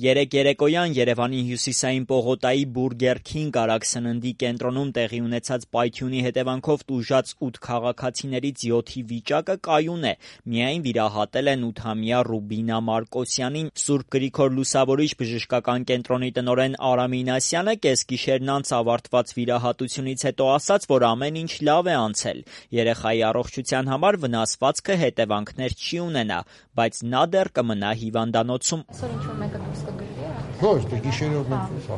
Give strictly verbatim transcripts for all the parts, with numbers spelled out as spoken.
Երեկ երեկոյան Երևանի հյուսիսային պողոտայի Բուրգեր Քինգ արագսննդի կենտրոնում տեղի ունեցած պայթյունի հետևանքով տուժած ութ քաղաքացիներից յոթի վիճակը կայուն է, միայն վիրահատել են ութամյա Ռուբինա Մարկոսյանին։ Սուրբ Գրիգոր Լուսավորիչ բժշկական կենտրոնի տնօրեն Արամ Ինասյանը կեսգիշերն անց ավարտված վիրահատությունից հետո ասաց, որ ամեն ինչ լավ է անցել։ Երեխայի առողջության համար վնասվածքը հետևանքներ չի ունենա, բայց նա դեռ կմնա հիվանդանոցում։ Ոչ, դե գիշերով մենք սա։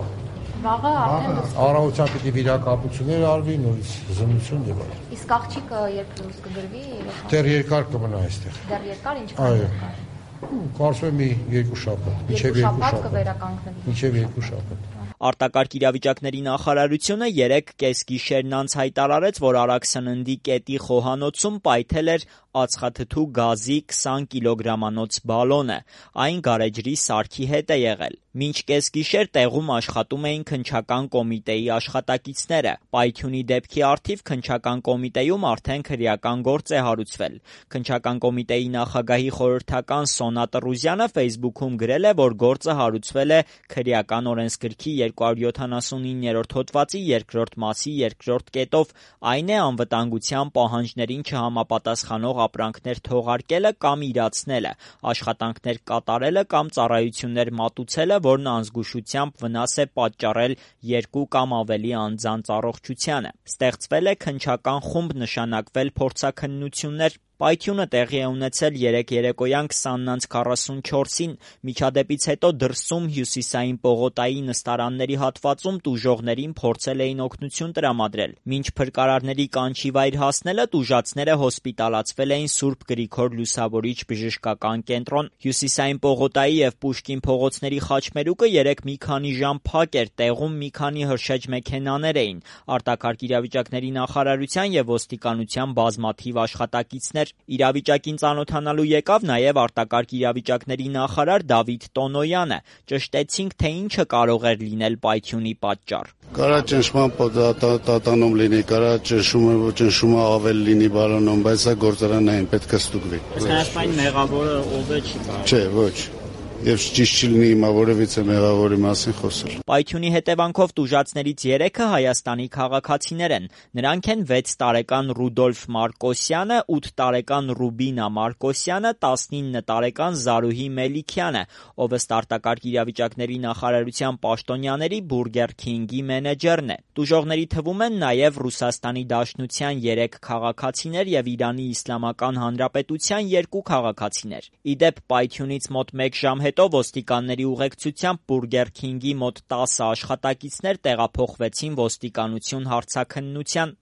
Վաղը արդեն առավոտյան պիտի վիրակապություններ արվի, նորից զննություն եւ այլն։ Իսկ աղջիկը երբ դուրս կգրվի, դեռ երկար կմնա այստեղ։ Դեռ երկար ինչքան երկար։ Կարծում եմ մի երկու շաբաթ, մինչև երկու շաբաթ կվերականգնվի։ Մինչև երկու շաբաթ։ Արտակարգ իրավիճակների նախարարությունը երեկ կեսգիշերն անց հայտարարեց, որ Արաքսննդի կետի խոհանոցում պայթել էր ածխաթթու գազի քսան կիլոգրամանոց բալոնը։ Այն գարեջրի սարքի հետ է եղել։ Մինչ կեսգիշեր տեղում աշխատում էին քննչական կոմիտեի աշխատակիցները։ Պայթյունի դեպքի առթիվ քննչական կոմիտեում արդեն քրեական գործ է հարուցվել։ Քննչական կոմիտեի նախագահի խորհրդական Սոնա Տրուզյանը Facebook-ում գրել է, որ գործը հարուցվել է քրեական օրենսգրքի երկու հարյուր յոթանասունիններորդ հոդվածի երկրորդ մասի երկրորդ կետով, այն է անվտանգության պահանջներին չհամապատասխանող ապրանքներ թողարկելը կամ իրացնելը, աշխատանքներ կատարելը կամ ծառայություններ մատուցելը, որն անզգուշությամբ վնաս է պատճառել երկու կամ ավելի անձանց առողջությանը։ Ստեղծվել է քննչական խումբ, նշանակվել փորձաքննություններ։ Պայթյունը տեղի է ունեցել երեկ երեկոյան քսանն անց քառասունչորսին, միջադեպից հետո դրսում հյուսիսային պողոտայի նստարանների հատվածում տուժողներին փորձել էին օգնություն տրամադրել։ Մինչ փրկարարների կանչի վայր հասնելը տուժածները հոսպիտալացվել էին Սուրբ Գրիգոր Լուսավորիչ բժշկական կենտրոն։ Հյուսիսային պողոտայի եւ Պուշկին փողոցների խաչմերուկը երեկ մի քանի ժամ փակ էր, տեղում մի քանի հրշեջ մեքենաներ էին։ Արտակարգ իրավիճակների նախարարության եւ ոստիկանության բազմաթիվ աշխատակիցներ Իրավիճակին ծանոթանալու եկավ նաև արտակարգ իրավիճակների նախարար Դավիթ Տոնոյանը։ Ճշտեցինք, թե ինչը կարող էր լինել պայթյունի պատճառ։ Կարա ճնշման տատանում լինի, կարա ճնշումը ճնշումը ավել լինի բալոնում, բայց սա գործարանային պետք է ստուգվի։ Այսինքն մեղավորը ով է չի կարող։ Չէ, ոչ։ Եվ ճիշտ չի լինի հիմա որևիցե մեղավորի մասին խոսել։ Պայթյունի հետևանքով տուժածներից երեքը Հայաստանի քաղաքացիներ են։ Նրանք են վեց տարեկան Ռուդոլֆ Մարկոսյանը, ութ տարեկան Ռուբինա Մարկոսյանը, տասնինը տարեկան Զարուհի Մելիքյանը, ով ըստ արտակարգ իրավիճակների նախարարության պաշտոնյաների Բուրգեր Քինգի մենեջերն է։ Տուժողների թվում են նաև Ռուսաստանի Դաշնության երեք քաղաքացիներ եւ Իրանի Իսլամական Հանրապետության երկու քաղաքացիներ։ Ի դեպ, պայթյունից մոտ մեկ ժամ հետո ոստիկանների ուղեկցությամբ Բուրգեր Քինգի մոտ տասը աշխատակիցներ տեղափոխվեցին ոստիկանություն հարցաքննության։